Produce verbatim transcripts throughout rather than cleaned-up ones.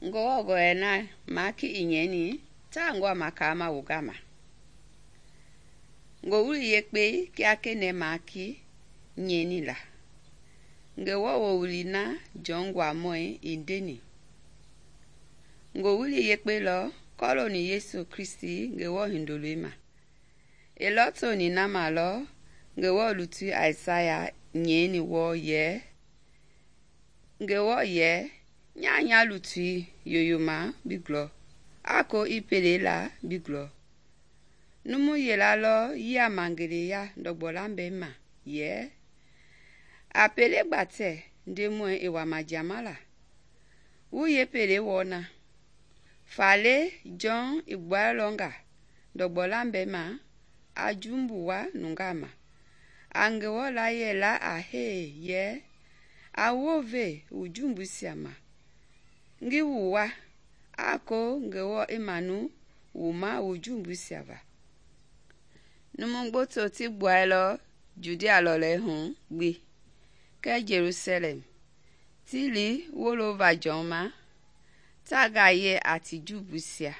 Ngewɔ gɔlɛi na maaki i nyɛini ta ngɔɔ ma kaama wu gama. Ngowili Yekpei kia kɛnɛɛ maaki nyɛini la. Ngewɔ wowili na Jɔn Nguamɔi i ndeni. Ngowili Yekpei lɔ kɔlooni Yesu Kristi Ngewɔ Hindoloi ma. I lɔtoni na ma lɔ Ngewɔ lutui Aisaya nyɛini wɔɔ yɛ, Ngewɔ yɛ, nya nya lutui yoyoma bi glɔ, a ko i pele la bi glɔ. Numu yila lɔ yia ma ngeleya ndɔgbɔ lambɛi ma yɛ, a pele gbatɛ Ndemɔi i wama jiama la, wu yeepele wɔɔ na. Faale Jɔn i gbuailɔ nga ndɔgbɔ lambɛi ma a jumbu wa nungaa ma. A Ngewɔ layie la a hee yɛ, a wounve wu jumbuisia ma, ngi wu wa, a ko Ngewɔ i manu wu ma wu jumbuisia va. Numu gboto ti gbuailɔ Judia lɔlei hu gbi kɛɛ Jelusalɛm, ti li wolova Jɔn ma, ta gaye a ti jumbuisia,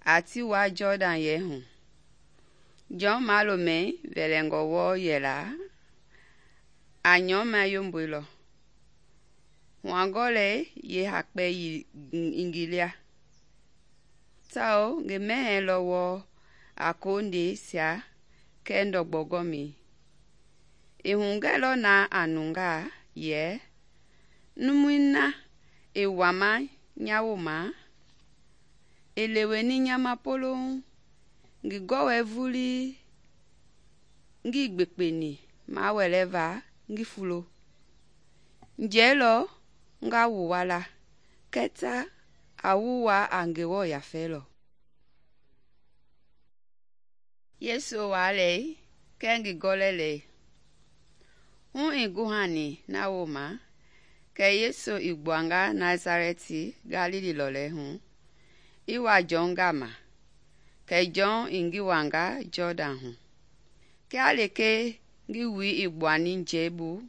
a ti wa Jɔdan yɛi hu. Jɔn malomɛi vɛlɛngɔ wɔɔ yɛla, a nyɔmɛ yomboilɔ, huangɔlɛi yeehakpɛ i ngi lia, tawao ngi mɛhɛɛ lɔ wɔɔ a kondeisia kɛɛ ndɔgbɔ gɔmɛi. I hugɛlɔ na a nungaa yɛ, numui na i wama nya wooma, i leweni nya ma poloŋ, ngi gɔwɔi vulii, ngii gbekpeni mawɛlɛva ngi fulo. Njɛi lɔ nga wu wa la, kɛɛ a wu wa a Ngewɔ yafei lɔ. Yesu walɛi kɛɛ ngi gɔlɛlɛi. Hu i guhani na wooma, kɛ Yesu i gbuanga Nazarɛti Galili lɔlei hu, i wa Jɔn gama, kɛ Jɔn i ngi wanga Jɔdan hu. Kia lekee ngi wui i gbuani njɛi bu,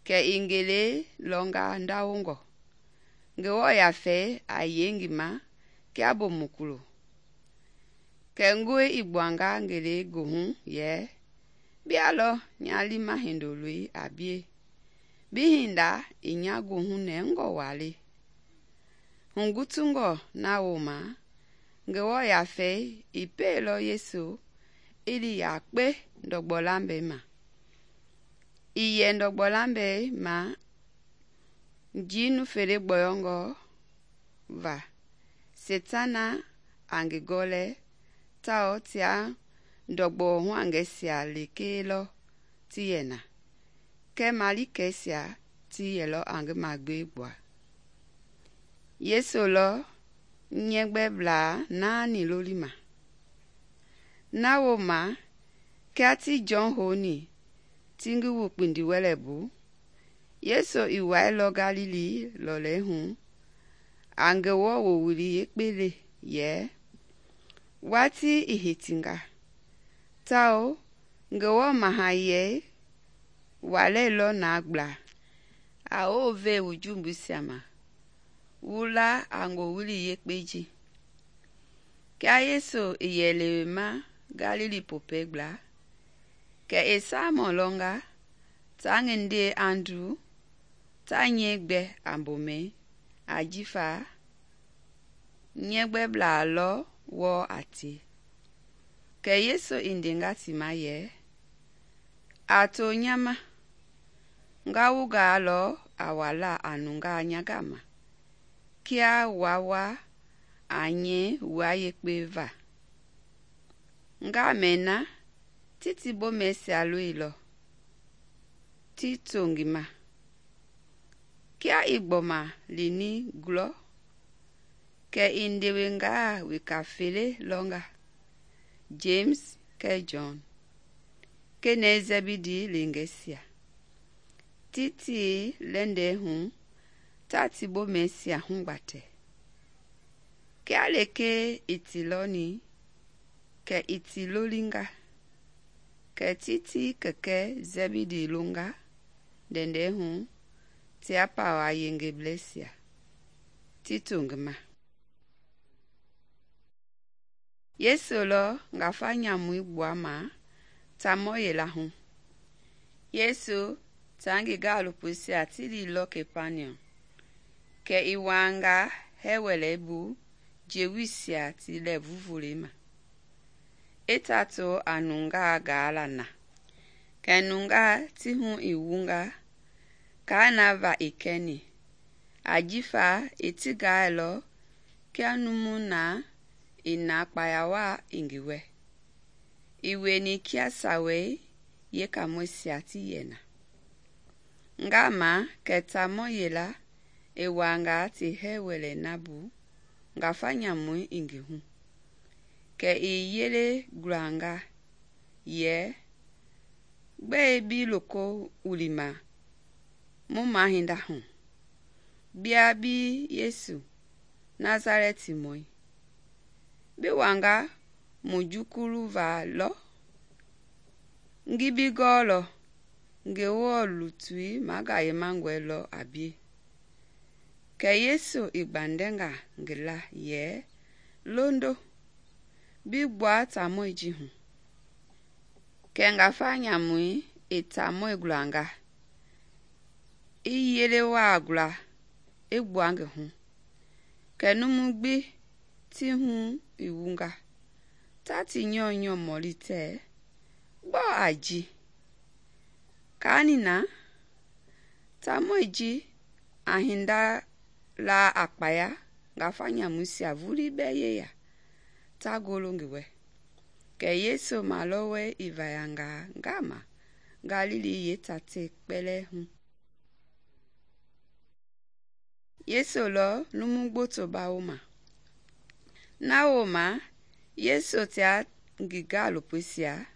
kɛ i ngele lɔnga ndawongɔ. Ngewɔ yafei a yei ngi ma kia bomu kulo. Kɛ ngoi i gbuanga ngele goohu yɛ, bia lɔ nya liima Hindoloi a bie, bi hinda i nya goohu nɛngɔ waa. Hugutungɔ na wooma, Ngewɔ yafei i peelɔ Yesu i li yakpe ndɔgbɔ lambɛi ma. I yɛ ndɔgbɔ lambɛi ma njii nufele gbɔyɔngɔ va. Setana a ngi gɔlɛ tawao tia ndɔgbɔ huangɛisia lekee lɔ ti yɛ na, kɛɛ malikɛisia ti yɛlɔ a ngi magbee gbua. Yesu lɔ nyɛgbɛblaa naani lolima. Na wooma, kia ti Jɔn houni ti ngi wu kpindiwɛlɛ bu, Yesu i wailɔ Galili lɔlei hu, a Ngewɔ wowili Yekpei le yɛ, watii i hitinga, tawao Ngewɔ mahayɛi walɛilɔ na gbla, a wounve wu jumbuisia ma, wu la a Ngowili Yekpei ji. Kia Yesu i yɛ lewema Galili popɛi gbla, kɛ i Saimɔn lɔnga taa ngi ndee Andru ta nyɛi gbɛ a mbomɛi, ajifa nyɛgbɛblaa lɔ wɔɔ a tie. Kɛ Yesu i ndenga ti ma yɛ, a to nya ma, nga wu gaa lɔ a wala a nungaa nya gama, kia waa wa a nyɛi wua yekpe va. Nga mɛna ti ti bomɛisia loilɔ, ti to ngi ma. Kia i gbɔma lini glɔ, kɛ i ndewengaa weka fele lɔnga, James kɛɛ Jɔn, kenɛi Zɛbidi lengɛisia, ti tii lɛndɛi hu ta ti bomɛisia hugbatɛ. Kia lekee i ti lɔni, kɛ i ti lolinga, kɛ ti ti kɛkɛ Zɛbidi longa ndɛndɛi hu tia pawa yengebleisia. ti to ngi ma. Yesu lɔ ngafa nyamui gbuama taamɔ yila hu. Yesu taa ngi gaalopoisia ti liilɔ Kapaniɔm, kɛ i wuanga hɛɛwɛlɛbu Jewuisia ti lɛɛvu volei ma, i ta to a nungaa gaala na. Kɛ nungaa ti hu i wunga kaa na va i kɛni, ajifa i ti gaailɔ kia numu na i na kpaya waa i ngi wɛ. I wieni kia Sawei yeekaamɔisia ti yɛ na. Ngama kɛ taamɔ yila i wuanga ti hɛɛwɛlɛ na bu ngafa nyamui i ngi hu, kɛ i yele gulanga yɛ, "Gbɛe bi loko wulima mu mahinda hu? Bia bi Yesu, Nasalɛtimɔi. Bi wanga mu jukulu va lɔ? Ngi bi gɔɔlɔ Ngewɔ lutui magayemangɔe lɔ a bie." Kɛ Yesu i gbandɛnga ngi la yɛ, "Londo, bi gbua taamɔi ji hu." Kɛ ngafa nyamui i taamɔi gulanga, i yele waa gula i gbua ngi hu. Kɛ numu gbi ti hu i wunga, ta ti nyɔunyɔ mɔli tɛɛ, "Gbɔɔ a ji?" Kaani na, taamɔi ji a hinda la a kpaya ngafa nyamuisia vulii bɛɛ yeya ta golo ngi wɛ. Kɛ Yesu malɔwɔi i vayanga ngama Galili yeetatei kpɛlɛɛ hu. Yesu lɔ numu gboto bawoma. Na wooma Yesu tia ngi gaalopoisia,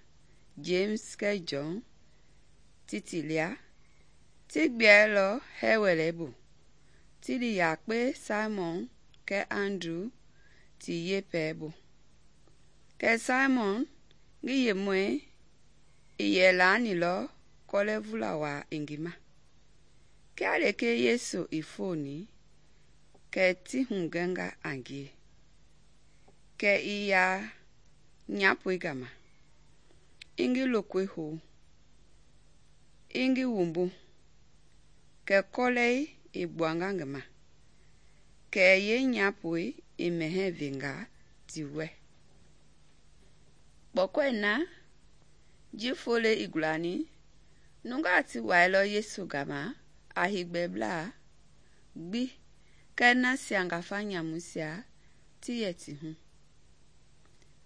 James kɛɛ Jɔn, ti ti lia, ti gbiɛlɔ hɛɛwɛlɛbu, ti li yakpe Saimɔn kɛɛ Andru ti yeepɛɛ bu. Kɛ Saimɔn ngi yemɔi i yɛ laanilɔ kɔlɛ vula waa i ngi ma. Kia leke Yesu i foni, kɛ ti hugɛnga a ngie, kɛ i ya nyapoi gama, i ngi lokoi hou, i ngi wumbu, kɛ kɔlɛi i gbuanga ngi ma, kɛ yeenyapoi i mɛhɛɛ venga ti wɛ. Kpɔkɔi na, ji fole i gulani, nungaa ti wailɔ Yesu gama a higbɛblaa gbi kɛɛ nasia ngafa nyamuisia ti yɛ ti hu.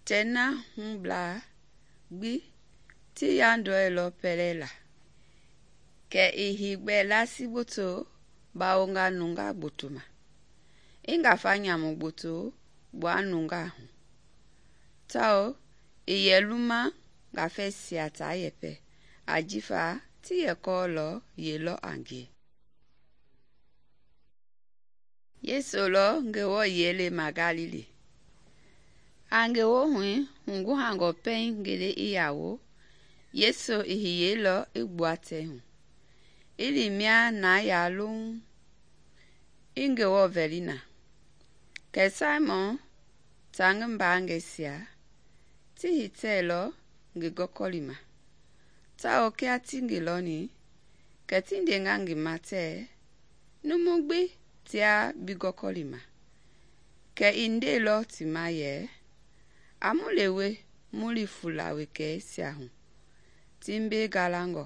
Tɛ na hublaa gbi ti yandɔilɔ pɛlɛ la, kɛ i higbɛ lasi gboto bawonga nungaa gboto ma, i ngafa nyamu gboto gbua nungaa hu, tawao i yɛ luma ngafɛisia taa yɛpɛ, ajifa ti yɛ kɔɔlɔ yelɔ a ngie. Yesu lɔ Ngewɔ yiɛle ma Galili. A Ngewɔ hui hunguhangɔ pɛiŋ ngele i yawo, Yesu i hiyeilɔ i gbua tɛ hu, i li mia na ya loŋ, i Ngewɔ vɛli na. Kɛ Saimɔn taa ngi mbaangɛisia ti hitɛlɔ ngi gɔkɔli ma, tawao kia ti ngi lɔni, kɛ ti ndenga ngi ma tɛɛ, "Numu gbi tia bi gɔkɔli ma." Kɛ i ndeilɔ ti ma yɛ, "A mu lewe mu li fula wekɛisia hu ti mbe galangɔ,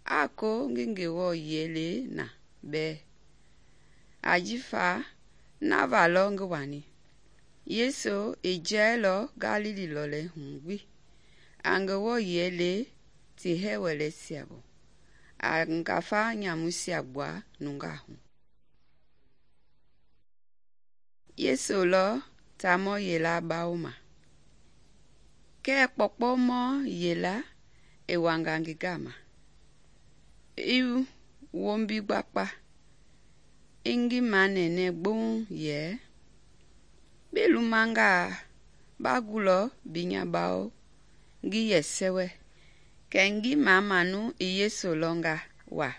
a ko ngi Ngewɔ yiɛle na bɛɛ." Ajifa na va lɔ ngi wani. Yesu i jɛɛlɔ Galili lɔlɛ hu gbi a Ngewɔ yiɛle ti hɛɛwɛlɛisia bu, a ngafa nyamuisia gbua nungaa hu. Yesu lɔ taamɔ yila bawoma. Kɛɛ kpɔkpɔmɔ yila i wanga ngi gama, i wombi gbakpa, i ngi manɛnɛ gboŋ yɛ, "Bi lumangaa ba gulɔ binya bawo ngi yɛ sɛwɛ." Kɛ ngi mamanu i Yesu lɔnga wa,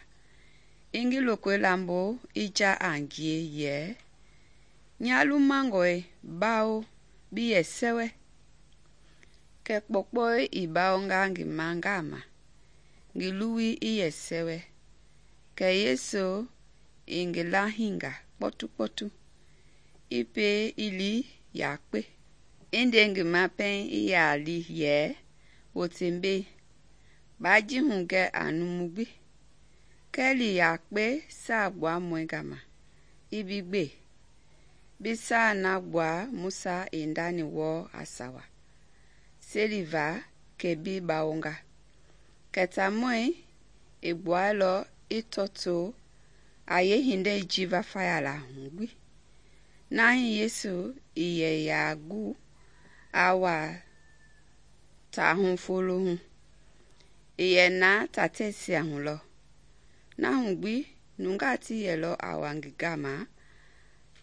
i ngi lokoi lambo i ja a ngie yɛ, nya lumangɔe bawo bi yɛ sɛwɛ. Kɛ kpɔkpɔi i bawonga ngi ma gama, ngi luwui i yɛ sɛwɛ. Kɛ Yesu i ngi lahinga kpɔtukpɔtu, i pie i li yakpe. I nde ngi ma pɛiŋ i yaa li yɛ, wote mbei, baa ji hugɛ a numu gbi. Kɛɛ li yakpe Saagbuamɔi gama, i bi gbe, bi saa na gbua Musa i ndani wɔɔ a sawa, seliva kɛ bi bawonga. Kɛ taamɔi i gbuailɔ i tɔtoo a yeehindei jiva fayala hu gbi. Na hii Yesu i yɛ yaa gu a wa taahu folo hu, i yɛ na tatɛisia hu lɔ. Na hu gbi nungaa ti yɛlɔ a wa ngi gama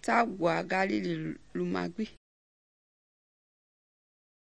ta gbua Galili luma gbi.